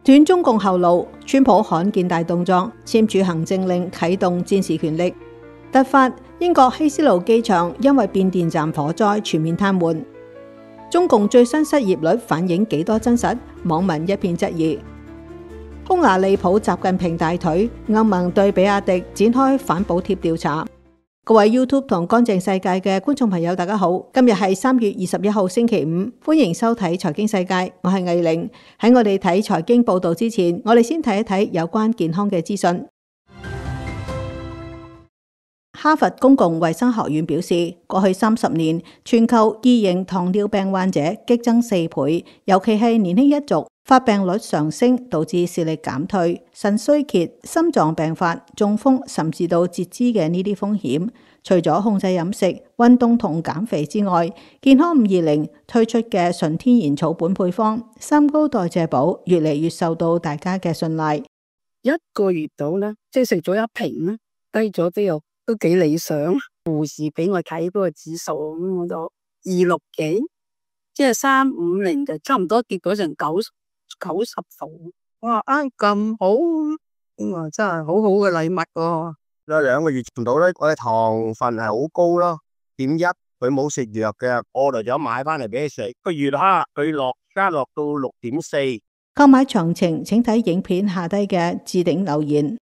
斷中共後路，川普罕見大動作，簽署行政令啟動戰時權力。突發英國希斯路機場因為變電站火災全面癱瘓。中共最新失業率反映幾多真實？網民一片質疑。匈牙利抱習近平大腿，歐盟對比亞迪展開反補貼調查。各位 YouTube 同乾淨世界嘅觀眾朋友，大家好，今日係3月21號星期五，歡迎收睇財經世界，我係魏玲。喺我哋睇財經報道之前，我哋先睇一睇有關健康嘅資訊。哈佛公共衛生學院表示，過去30年，全球二型糖尿病患者激增4倍，尤其係年輕一族，發病率上升，導致視力減退、腎衰竭、心臟病發、中風，甚至到截肢嘅呢啲風險。除咗控制飲食、運動同減肥之外，健康520推出嘅純天然草本配方三高代謝寶，越嚟越受到大家嘅信賴。一個月到咧，即係食咗一瓶咧，低咗之後都幾理想。護士俾我睇嗰個指數，咁我就260幾，即係350就差唔多跌咗成90度。哇，啱咁好，咁真係好好嘅禮物喎。2個月唔到咧，我嘅糖分係好高咯，0.1，佢冇食藥嘅，我就咗買翻嚟俾佢食。個月哈，佢加落到6.4。購買詳情請睇影片下低嘅置頂留言。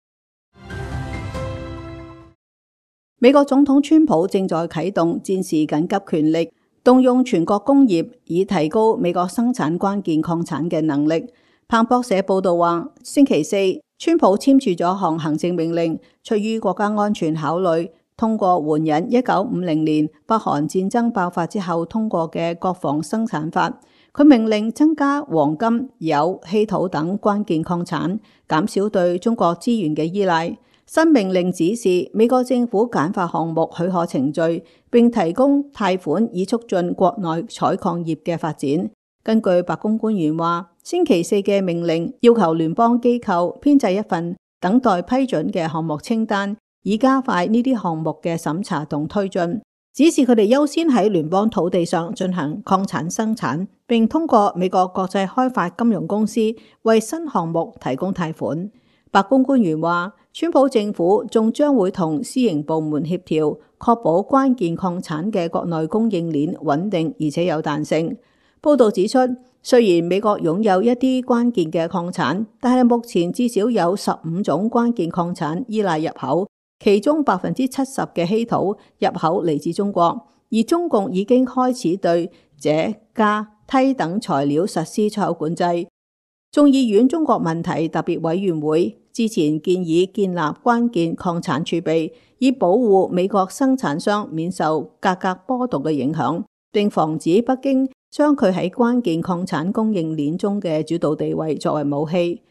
美國總統川普正在啟動戰時緊急權力，動用全國工業以提高美國生產關鍵礦產嘅能力。彭博社報道話，星期四，川普簽署咗項行政命令，出於國家安全考慮，通過援引1950年北韓戰爭爆發之後通過嘅國防生產法。佢命令增加黃金、鈾、稀土等關鍵礦產，減少對中國資源嘅依賴。新命令指示美國政府簡化項目許可程序，並提供貸款以促進國內採礦業嘅發展。根據白宮官員話，星期四嘅命令要求聯邦機構編製一份等待批准嘅項目清單，以加快呢啲項目嘅審查同推進。指示佢哋優先喺聯邦土地上進行礦產生產，並通過美國國際開發金融公司為新項目提供貸款。白宮官員話，川普政府仲將會同私營部門協調，確保關鍵礦產嘅國內供應鏈穩定而且有彈性。報道指出，雖然美國擁有一啲關鍵嘅礦產，但係目前至少有15種關鍵礦產依賴入口，其中70%嘅稀土入口嚟自中國，而中共已經開始對鍺、鎵、銻等材料實施出口管制。眾議院中國問題特別委員會之前建議建立關鍵礦產儲備，以保護美國生產商免受價格波動嘅影響，並防止北京將佢喺關鍵礦產供應鏈中嘅主導地位作為武器。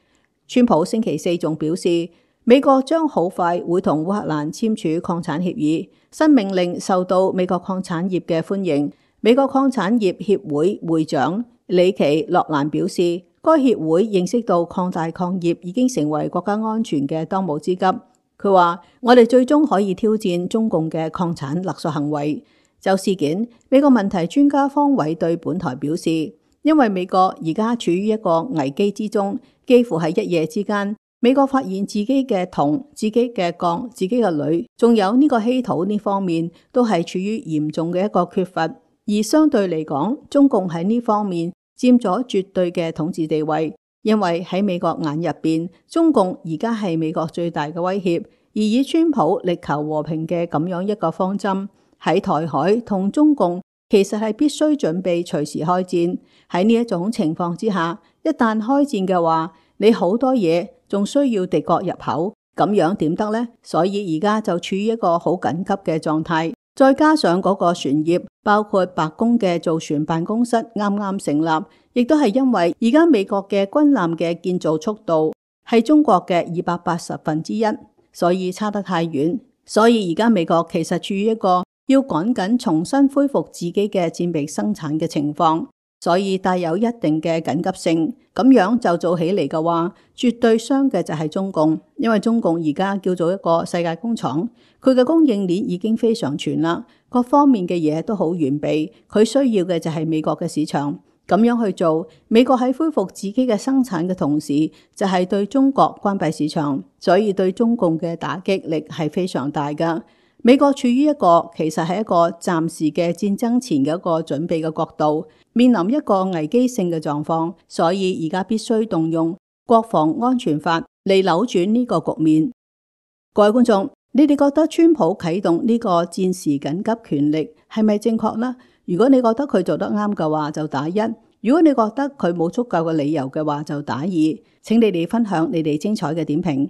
川普星期四仲表示，美國將好快會同烏克蘭簽署礦產協議。新命令受到美國礦產業嘅歡迎。美國礦產業協會會長里奇洛蘭表示，該協會認識到擴大礦業已經成為國家安全嘅當務之急。佢話，我哋最終可以挑戰中共嘅礦產勒索行為。就事件，美國問題專家方偉對本台表示，因為美國而家處於一個危機之中，幾乎係一夜之間，美國發現自己嘅銅、自己嘅鋼、自己嘅鋁，仲有呢個稀土呢方面，都係處於嚴重嘅一個缺乏。而相對嚟講，中共喺呢方面佔咗絕對嘅統治地位，因為喺美國眼入邊，中共而家係美國最大嘅威脅。而以川普力求和平嘅咁樣一個方針，喺台海同中共其實係必須準備隨時開戰。喺呢一種情況之下，一旦開戰嘅話，你好多嘢仲需要敵國入口，咁樣點得呢？所以而家就處於一個好緊急嘅狀態。再加上嗰個船業，包括白宮嘅造船辦公室啱啱成立，亦都係因為而家美國嘅軍艦嘅建造速度係中國嘅280%，所以差得太遠。所以而家美國其實處於一個要趕緊重新恢復自己嘅戰備生產嘅情況，所以帶有一定嘅緊急性。咁樣就做起嚟嘅話，絕對傷嘅就係中共，因為中共而家叫做一個世界工廠，佢嘅供應鏈已經非常全啦，各方面嘅嘢都好完備，佢需要嘅就係美國嘅市場。咁樣去做，美國喺恢復自己嘅生產嘅同時，就係對中國關閉市場，所以對中共嘅打擊力係非常大㗎。美國處於一個其實係一個暫時嘅戰爭前嘅一個準備嘅角度，面臨一個危機性嘅狀況，所以而家必須動用國防安全法嚟扭轉呢個局面。各位觀眾，你哋覺得川普啟動呢個戰時緊急權力係咪正確呢？如果你覺得佢做得啱嘅話，就打1；如果你覺得佢冇足夠嘅理由嘅話，就打2。請你哋分享你哋精彩嘅點評。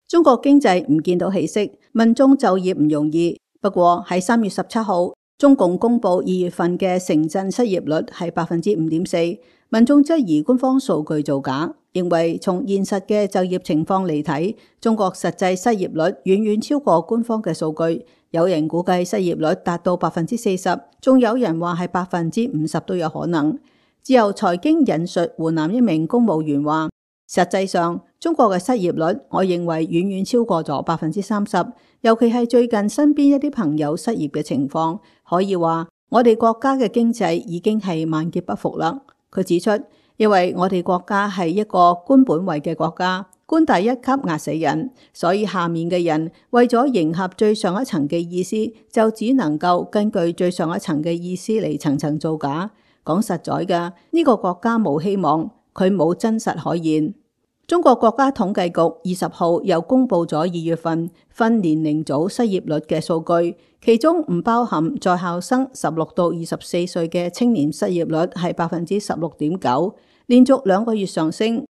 中國經濟唔見到起色，民眾就業唔容易。不過喺3月17號，中共公布2月份嘅城鎮失業率係5.4%，民眾質疑官方數據造假，認為從現實嘅就業情況嚟睇，中國實際失業率遠遠超過官方嘅數據。有人估計失業率達到40%，仲有人話係50%都有可能。自由財經引述湖南一名公務員話，實際上中國嘅失業率，我認為遠遠超過咗30%，尤其係最近身邊一啲朋友失業嘅情況，可以話我哋國家嘅經濟已經係萬劫不復啦。佢指出，因為我哋國家係一個官本位嘅國家，官第一級壓死人，所以下面嘅人為咗迎合最上一層嘅意思，就只能夠根據最上一層嘅意思嚟層層造假。講實在嘅，呢個國家冇希望，佢冇真實可言。中國國家統計局20號又公布咗2月份分年齡組失業率嘅數據，其中唔包含在校生16到24歲嘅青年失業率係16.9%，連續2個月上升。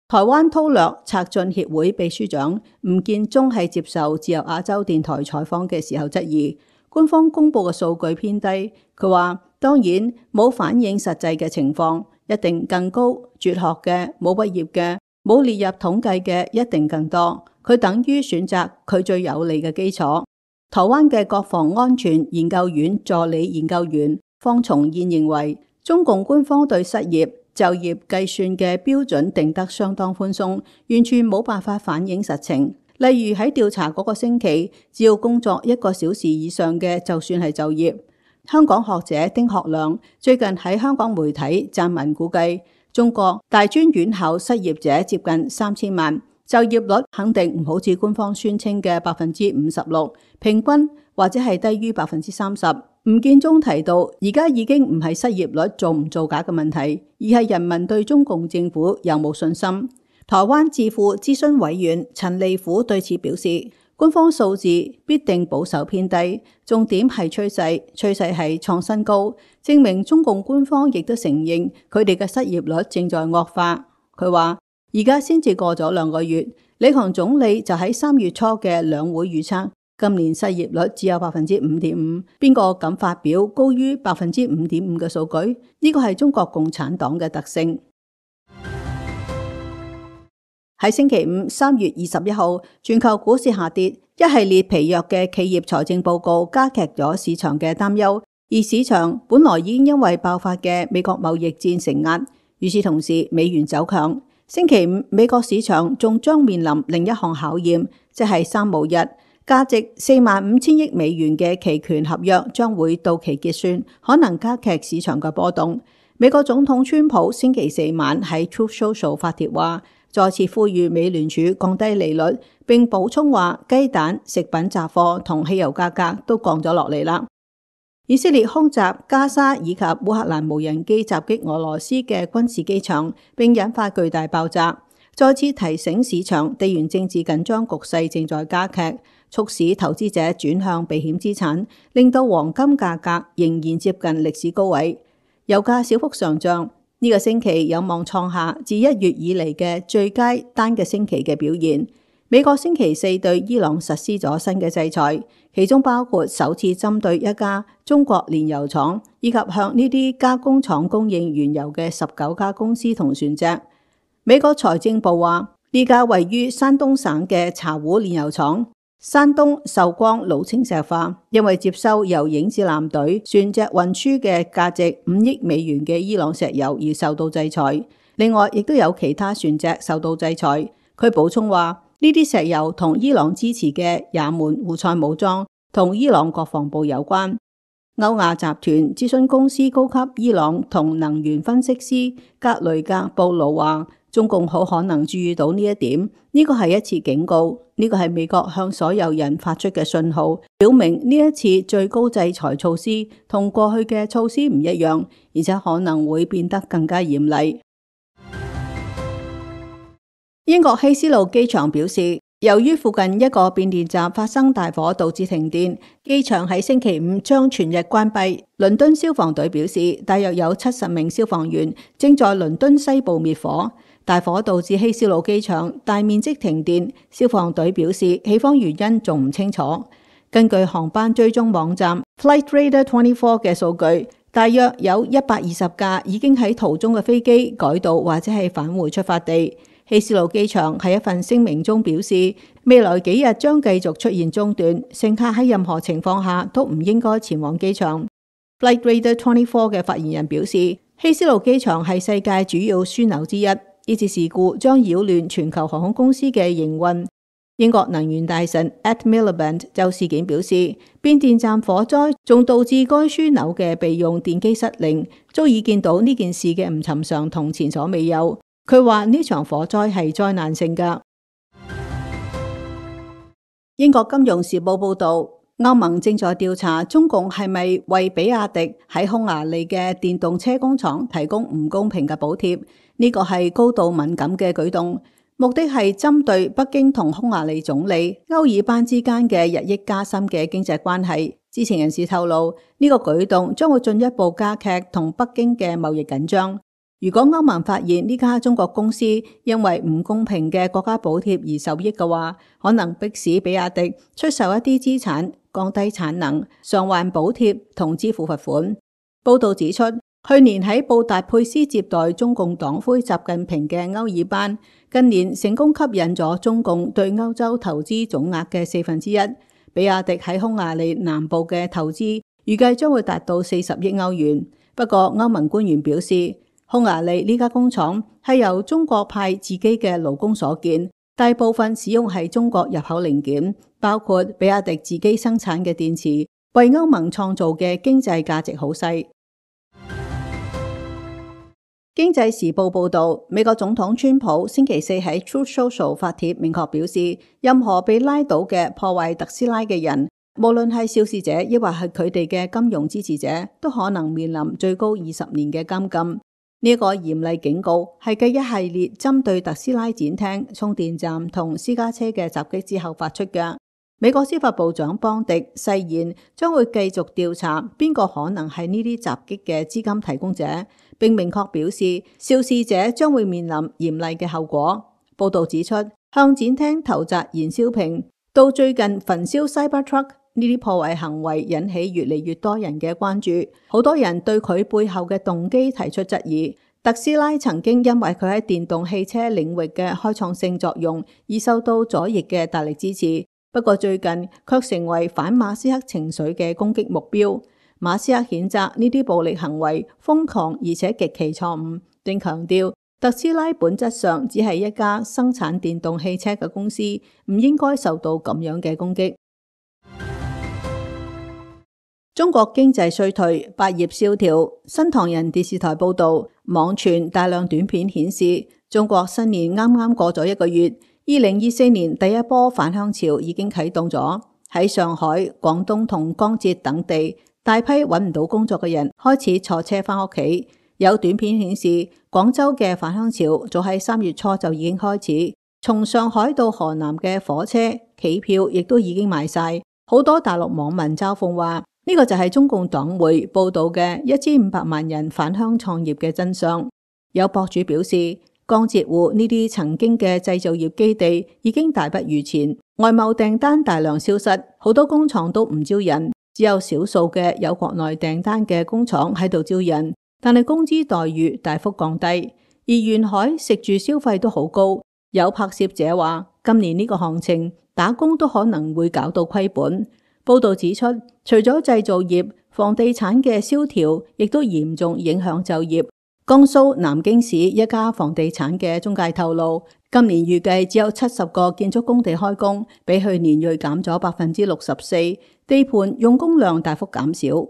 台灣韜略策進協會秘書長吳建中喺接受自由亞洲電台採訪嘅時候質疑，官方公布嘅數據偏低。佢話當然冇反映實際嘅情況，一定更高，輟學嘅、冇畢業嘅、冇列入統計嘅一定更多。佢等於選擇佢最有利嘅基礎。台灣嘅國防安全研究院助理研究員方崇燕認為，中共官方對失業就業計算嘅標準定得相當寬鬆，完全冇辦法反映實情。例如喺調查嗰個星期，只要工作1個小時以上嘅就算係就業。香港學者丁學良最近喺香港媒體撰文估計，中國大專院校失業者接近3000萬，就業率肯定唔好似官方宣稱嘅56%，平均或者係低於30%。吳建中提到，而家已經唔係失業率造唔造假嘅問題，而係人民對中共政府有冇信心。台灣智庫諮詢委員陳利虎對此表示，官方數字必定保守偏低，重點係趨勢，趨勢係創新高，證明中共官方亦都承認佢哋嘅失業率正在惡化。佢話而家先至過咗2個月，李強總理就喺3月初嘅兩會預測，今年失業率只有5.5%，邊個敢發表高於5.5%嘅數據？呢個係中國共產黨嘅特性。喺星期五3月21號，全球股市下跌，一系列疲弱嘅企業財政報告加劇咗市場嘅擔憂，而市場本來已經因為爆發嘅美國貿易戰承壓，與此同時美元走強。星期五美國市場仲將面臨另一項考驗，即係3巫日，價值45000億美元嘅期權合約將會到期結算，可能加劇市場嘅波動。美國總統川普星期4晚喺 Truth Social 發帖話，再次呼籲美聯儲降低利率，並補充話雞蛋、食品雜貨同汽油價格都降咗落嚟啦。以色列空襲加沙以及烏克蘭無人機襲擊俄羅斯嘅軍事機場，並引發巨大爆炸，再次提醒市場地緣政治緊張局勢正在加劇，促使投資者轉向避險資產，令到黃金價格仍然接近歷史高位。油價小幅上漲，呢個星期有望創下自1月以嚟嘅最佳單嘅星期嘅表現。美國星期4對伊朗實施咗新嘅制裁，其中包括首次針對一家中國煉油廠，以及向呢啲加工廠供應原油嘅19家公司同船隻。美國財政部話，呢家位於山東省嘅茶壺煉油廠，山東壽光老清石化，因為接收由影子艦隊船隻運輸嘅價值5億美元嘅伊朗石油而受到制裁。另外，亦都有其他船隻受到制裁。佢補充話，呢啲石油同伊朗支持嘅也門胡塞武裝同伊朗國防部有關。歐亞集團諮詢公司高級伊朗同能源分析師格雷格布魯話，中共好可能注意到呢一點，呢個係一次警告，呢個係美國向所有人發出嘅信號，表明呢一次最高制裁措施同過去嘅措施唔一樣，而且可能會變得更加嚴厲。英國希斯路機場表示，由於附近一個變電站發生大火導致停電，機場喺星期五將全日關閉。倫敦消防隊表示，大約有70名消防員正在倫敦西部滅火。大火導致希斯路機場大面積停電，消防隊表示起火原因仲唔清楚。根據航班追蹤網站 Flightradar24 嘅數據，大約有120架已經喺途中嘅飛機改道或者係返回出發地。希斯路機場喺一份聲明中表示，未來幾日將繼續出現中斷，乘客喺任何情況下都唔應該前往機場。Flightradar24 嘅發言人表示，希斯路機場係世界主要樞紐之一，呢次事故將擾亂全球航空公司嘅營運。英國能源大臣 Ed Miliband 就事件表示，變電站火災仲導致該樞紐嘅備用電機失靈，足以見到呢件事嘅唔尋常同前所未有。佢話呢場火災係災難性㗎。英國金融時報報道，歐盟正在調查中共係咪為比亞迪喺匈牙利嘅電動車工廠提供唔公平嘅補貼，呢個係高度敏感嘅舉動，目的係針對北京同匈牙利總理歐爾班之間嘅日益加深嘅經濟關係。知情人士透露，呢個舉動將會進一步加劇同北京嘅貿易緊張。如果歐盟發現呢家中國公司因為唔公平嘅國家補貼而受益嘅話，可能迫使比亞迪出售一啲資產、降低產能、償還補貼同支付罰款。報道指出，去年喺布達佩斯接待中共黨魁習近平嘅歐爾班，近年成功吸引咗中共對歐洲投資總額嘅1/4。比亞迪喺匈牙利南部嘅投資預計將會達到40億歐元。不過歐盟官員表示，匈牙利呢家工廠係由中國派自己嘅勞工所建，大部分使用係中國入口零件，包括比亞迪自己生產嘅電池，為歐盟創造嘅經濟價值好細。經濟時報報道，美國總統川普星期四喺 Truth Social 發帖，明確表示，任何被拉到嘅破壞特斯拉嘅人，無論係肇事者抑或係佢哋嘅金融支持者，都可能面臨最高20年嘅監禁。呢個嚴厲警告係繼一系列針對特斯拉展廳、充電站同私家車嘅襲擊之後發出嘅。美國司法部長邦迪誓言將會繼續調查邊個可能係呢啲襲擊嘅資金提供者，並明確表示肇事者將會面臨嚴厲嘅後果。報道指出，向展廳投擲燃燒瓶到最近焚燒 Cybertruck，呢啲破壞行為引起越嚟越多人嘅關注，好多人對佢背後嘅動機提出質疑。特斯拉曾經因為佢喺電動汽車領域嘅開創性作用而受到左翼嘅大力支持，不過最近卻成為反馬斯克情緒嘅攻擊目標。馬斯克譴責呢啲暴力行為瘋狂而且極其錯誤，並強調特斯拉本質上只係一家生產電動汽車嘅公司，唔應該受到咁樣嘅攻擊。中國經濟衰退，百業蕭條。新唐人電視台報道，網傳大量短片顯示，中國新年啱啱過咗1個月，2024年第一波返鄉潮已經啟動咗。喺上海、廣東同江浙等地，大批揾唔到工作嘅人開始坐車返屋企。有短片顯示，廣州嘅返鄉潮早喺3月初就已經開始，從上海到河南嘅火車、企票亦都已經賣晒。好多大陸網民嘲諷話，呢個就係中共黨媒報道嘅1500萬人返鄉創業嘅真相。有博主表示，江浙滬呢啲曾經嘅製造業基地已經大不如前，外貿訂單大量消失，好多工廠都唔招人，只有少數嘅有國內訂單嘅工廠喺度招人，但係工資待遇大幅降低，而沿海食住消費都好高。有拍攝者話，今年呢個行情打工都可能會搞到虧本。報道指出，除咗製造業，房地產嘅蕭條亦都嚴重影響就業。江蘇南京市一家房地產嘅中介透露，今年預計只有70個建築工地開工，比去年銳減咗64%，地盤用工量大幅減少。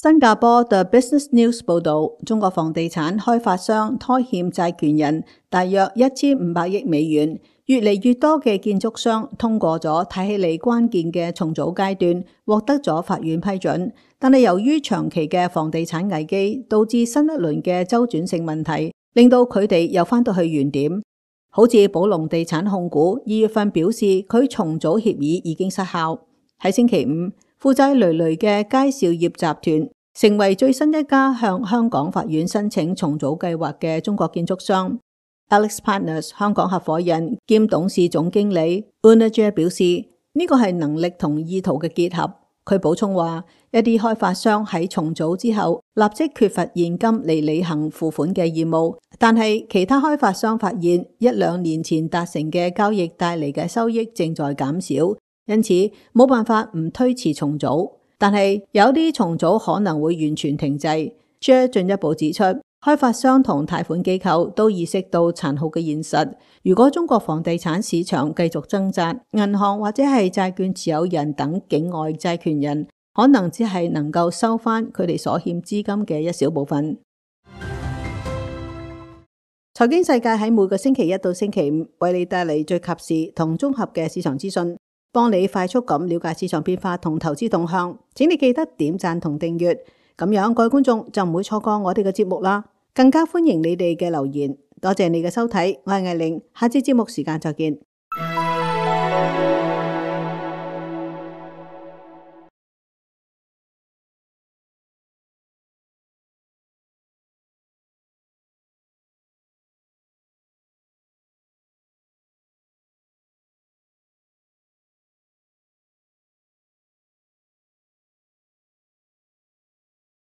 新加坡 The Business News 報道，中國房地產開發商拖欠債權人大約1500億美元，越嚟越多嘅建築商通過咗睇起嚟關鍵嘅重組階段，獲得咗法院批准。但係由於長期嘅房地產危機，導致新一輪嘅周轉性問題，令到佢哋又返到去原點。好似寶龍地產控股2月份表示，佢重組協議已經失效。喺星期五，負債累累嘅佳兆業集團成為最新一家向香港法院申請重組計劃嘅中國建築商。Alex Partners 香港合夥人兼董事總經理 Unaja 表示，呢個係能力同意圖嘅結合。佢補充話，一啲開發商喺重組之後立即缺乏現金嚟履行付款嘅義務，但係其他開發商發現1-2年前達成嘅交易帶嚟嘅收益正在減少，因此冇辦法唔推遲重組。但係有啲重組可能會完全停滯。Jer 進一步指出，開發商同貸款機構都意識到殘酷嘅現實，如果中國房地產市場繼續掙扎，銀行或者係債券持有人等境外債權人可能只係能夠收返佢哋所欠資金嘅一小部分。財經世界喺每個星期一到星期五為你帶嚟最及時同綜合嘅市場資訊，幫你快速咁了解市場變化同投資動向。請你記得點讚同訂閱，咁樣各位觀眾就唔會錯過我哋嘅節目啦。更加歡迎你哋嘅留言，多謝你嘅收睇，我係艾玲，下次節目時間再見。